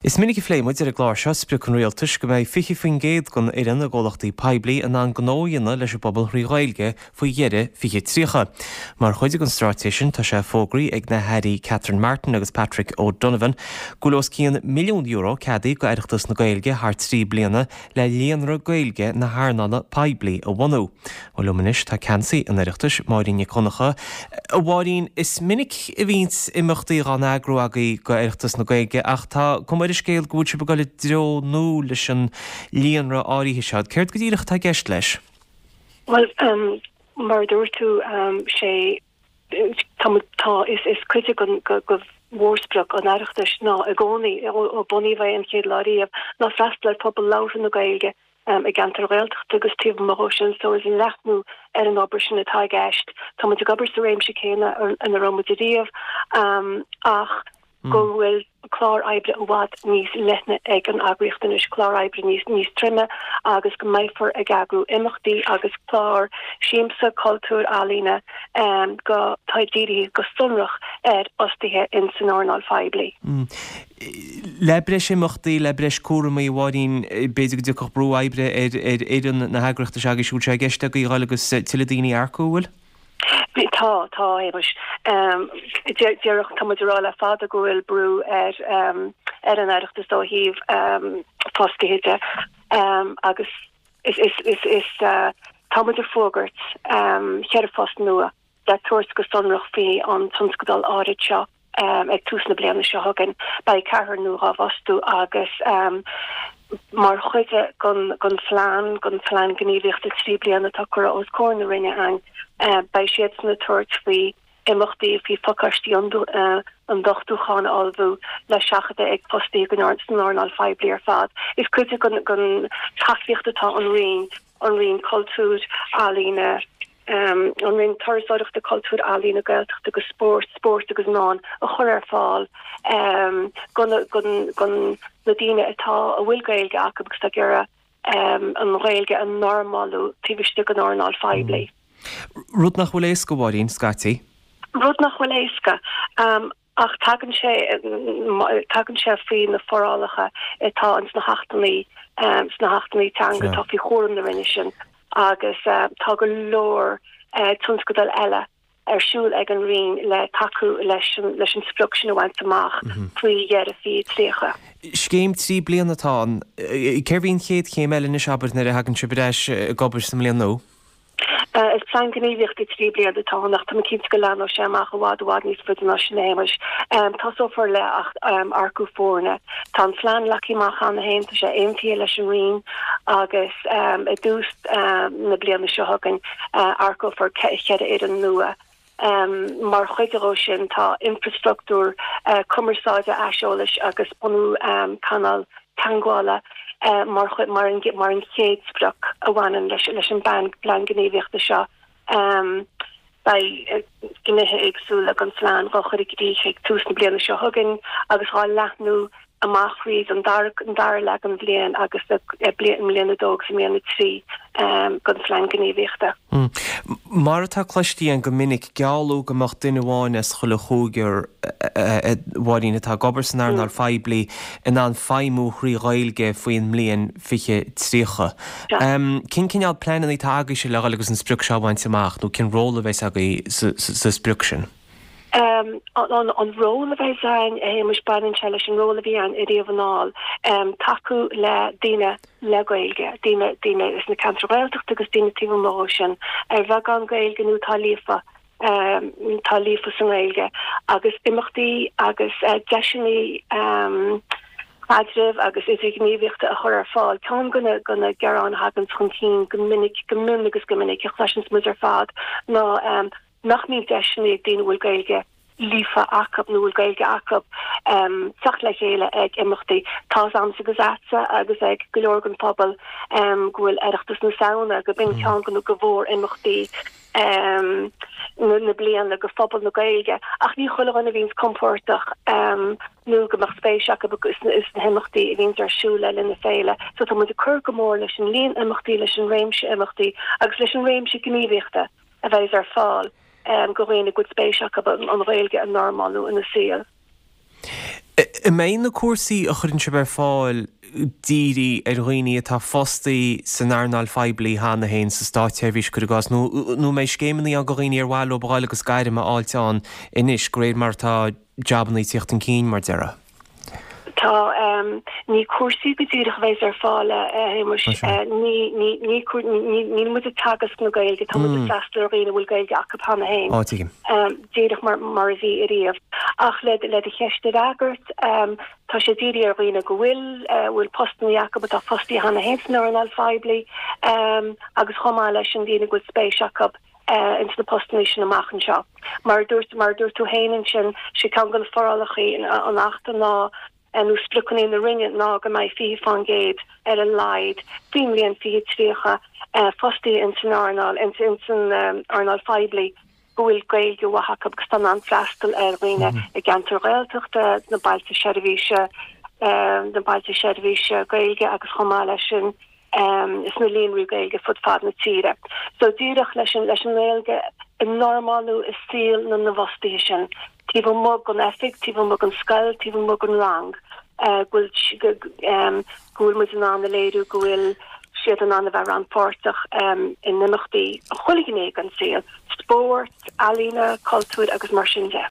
Is minic a phléigh muid ar an gclár seo sprioc an Rialtais go mbeidh 20% den fhoireann i gcomhlachtaí poiblí in ann gnó a dhéanamh leis an bpobal thrí Ghaeilge faoi dheireadh 2030. Mar chuid den straitéis sin tá sé fógraithe ag na hAirí Catherine Martin agus Patrick O'Donovan go bhfuil os cionn €1 milliún ceadaithe go Oireachtas na Gaeilge thar 3 bliana le Líonra Gaeilge na hEarnála Poiblí a bhunú. Bhuel, liom anois tá ceannasaí an Oireachtais, Máirín Nic Dhonncha. A Mháirín, is minic a bhíonns imeachtaí dhá n-eagrú agaibh go Oireachtas na Gaeilge ach tá cuma ar an scéal go bhfuil sibh ag dul i dtreo nua leis an líonra áirithe seo. Céard go díreach atá i gceist leis? Bhuel, mar a dúirt tú, sé Tá, tá, is, is cuid de mhórsprioc an Oireachtais ná i gcónaí, ó bunaíodh é an chéad lá riamh, ná freastal ar phobal labhartha na Gaeilge i gceantair Ghaeltachta agus taobh amuigh dhó sin. So is leathnú ar an obair sin atá i gceist. Tá muid ag obair sa réimse céanna ina raibh muid ariamh ach go bhfuil clár oibre i bhfad níos leithne ag an eagraíocht anois, clár oibre níos níos troime agus go mbeifear ag eagrú imeachtaí agus clár siamsa, cultúir, ealaíne go atá dírithe go sonrach ar fhostaithe in san earnáil phoiblí. Le breis imeachtaí, le breis cúramaí, a Mháirín, b'fhéidir go dtiocfadh brú oibre ar ar fhoireann na heagraíochta seo agaibhse, an bhfuil sé i gceist agaibh a dhul agus tuilleadh daoine a earcú, an bhfuil? Tá, tá, a Shéamais. Déarfadh, tá muid ag rá le fada go bhfuil brú ar ar an Oireachtas ó thaobh fostaithe de agus is, is, is, is, tá muid ag fógairt cheithre phost nua le tabhairt go sonrach faoi an tionscadal áirid seo. Ag tús na bliana seo chugainn, beidh ceathrar nua dhá bhfostú agus mar chuid den phlean, den phlean gníomhaíochta 3 bliana atá curtha os comhair na Roinne againn, beidh siadsan ag tabhairt faoi imeachtaí, faoi phacáistí ionduchtúcháin a ullmhú le seachadadh ag fostaithe san earnáil phoiblí ar fad. Is cuid den tacaíocht atá an Roinn an Roinn Cultúir, Ealaíne, an Roinn Turasóireachta, Cultúir, Ealaíne, Gaeltachta agus Spóirt, Spóirt agus Meán a chur ar fáil do na daoine atá, a bhfuil Gaeilge acu agus atá ag iarraidh an Ghaeilge a normalú taobh istigh den earnáil phoiblí. Rud nach bhfuil éasca, a Mháirín, scaití. Rud nach bhfuil éasca. Ach tagann sé, tagann sé faoi na forálacha atá ins na hAchtanna, sna hAchtanna Teanga atá faoi chúram na Roinne sin agus tá go leor tionscadail eile ar siúl ag an Roinn le tacú leis an, leis an sprioc sin a bhaint amach faoi dheireadh 2030. Scéim 3 bliana atá ann. Cérbh í an chéad chéim eile anois, abair, nuair a thagann sibh ar ais ag obair sa mbliain nua? Is plean gníomhaíochta 3 bliana atá ann ach tá mé cinnte go leathnóidh sé amach i bhfad i bhfad níos faide ná sin, a Shéamais. Tosófar le earcú foirne. Tá an plean leagtha amach cheana féin, tá sé aontaithe leis an Roinn agus i dtús na bliana seo chugainn earcófar 4 fhoireann nua. Mar chuid dhó sin tá infreastruchtúr cumarsáide aiseolais agus bunú canáil teagmhála mar mar an mar an chéad sprioc a bhaineann leis leis an bplean gníomhaíochta seo. Beidh gnéithe éagsúla den phlean dhá chur i gcrích ag tús na bliana seo chugainn agus dhá leathnú amach thríd an dara an dara leath den bhliain agus i mbliain a dó agus i mbliain a 3 den phlean gníomhaíochta. Mar atá cloiste againn go minic, gealladh go mbeadh duine amháin as chuile chúigear, a Mháirín, atá ag obair san earnáil phoiblí in ann feidhmiú thrí Ghaeilge faoin mbliain 2030. Cén cineál pleananna atá agaibhse le dhul agus an sprioc seo a bhaint amach nó cén ról a bheas agaibh sa sprioc sin? An ról a bheas againn, a Shéamais, baineann sé leis an ról a bhí againn ariamh anall, tacú le daoine le Gaeilge, daoine, daoine sna ceantair Ghaeltachta agus daoine taobh amuigh dhó sin, ar bheagán Gaeilge nó atá líofa, atá líofa sa nGaeilge, agus imeachtaí agus deiseanna caidrimh agus idirghníomhaíochta a chur ar fáil. Ceann de na, de na gearáin a thaganns chun cinn go minic, go mion agus go minic, a chloiseanns muid ar fad ná, nach mbíonn deiseanna ag daoine a bhfuil Gaeilge líofa acu nó a bhfuil Gaeilge acu teacht le chéile ag imeachtaí. Tá's a'msa agus a'dsa agus ag go leor den phobal go bhfuil Oireachtas na Samhna, go b'in ceann de na go mhór-imeachtaí na bliana go phobal na Gaeilge ach ní chuile dhuine a bhíonns compordach nó go mbeadh spéis acu sna himeachtaí a bhíonns ar siúl le linn na féile. So tá muid ag cur go mór leis an líon imeachtaí, leis an réimse imeachtaí agus leis an réimse gníomhaíochta. a bheidh ar fáil go dhaoine go bhfuil spéis acu an Ghaeilge a normalú ina saol. An mbeidh na cúrsaí a chuireann sibh ar fáil dírithe ar dhaoine atá fostaí san earnáil phoiblí cheana féin, sa státseirbhís, cuir i gcás, nó an mbeidh scéimeanna ann do dhaoine ar mhaith leo a ghabháil agus gairm a fháilt ann anois, de réir mar atá jabanna ag tíocht chun cinn, mar déarfá? Tá. Ní cúrsaí go díreach a bheas ar fáil, a Shéamuis. Ní, ní, ní, níl muid ag teagasc na Gaeilge, tá muid ag freastal ar dhaoine a bhfuil Gaeilge acu cheana féin. Á, tuigim. Díreach mar, mar a bhí ariamh. Ach le, le do cheist a fhreagairt, tá sé dírithe ar dhaoine go bhfuil, bhfuil postannaí acu atá fostaithe cheana féin san earnáil phoiblí, agus chomh maith leis sin daoine go bhfuil spéis acu ins na postannaí sin amach anseo. Mar a dúirt, mar a dúirt tú féin ansin, sé ceann de na forálacha an Achta ná, nó spriocanna na Roinne ná go mbeidh 20% ar a laghad faoin mbliain 2030 fostaithe ins an earnáil, ins an earnáil phoiblí go bhfuil Gaeilge mhaith acu agus tá in ann freastal ar dhaoine i gceantair Ghaeltachta, na bailte seirbhíse, na bailte seirbhíse Gaeilge agus chomh maith leis sin, sna líonraí Gaeilge fud fad na tíre. So díreach leis an leis an nGaeilge a normálú i saol na na bhfostaithe sin, taobh amuigh den oifig, taobh amuigh den scoil, taobh amuigh den rang, go bhfuil go bhfuil muid in ann a léiriú go bhfuil siad in ann a bheith rannpháirteach in imeachtaí chuile ghné den saol, spórt, ealaíona, cultúr agus mar sin de.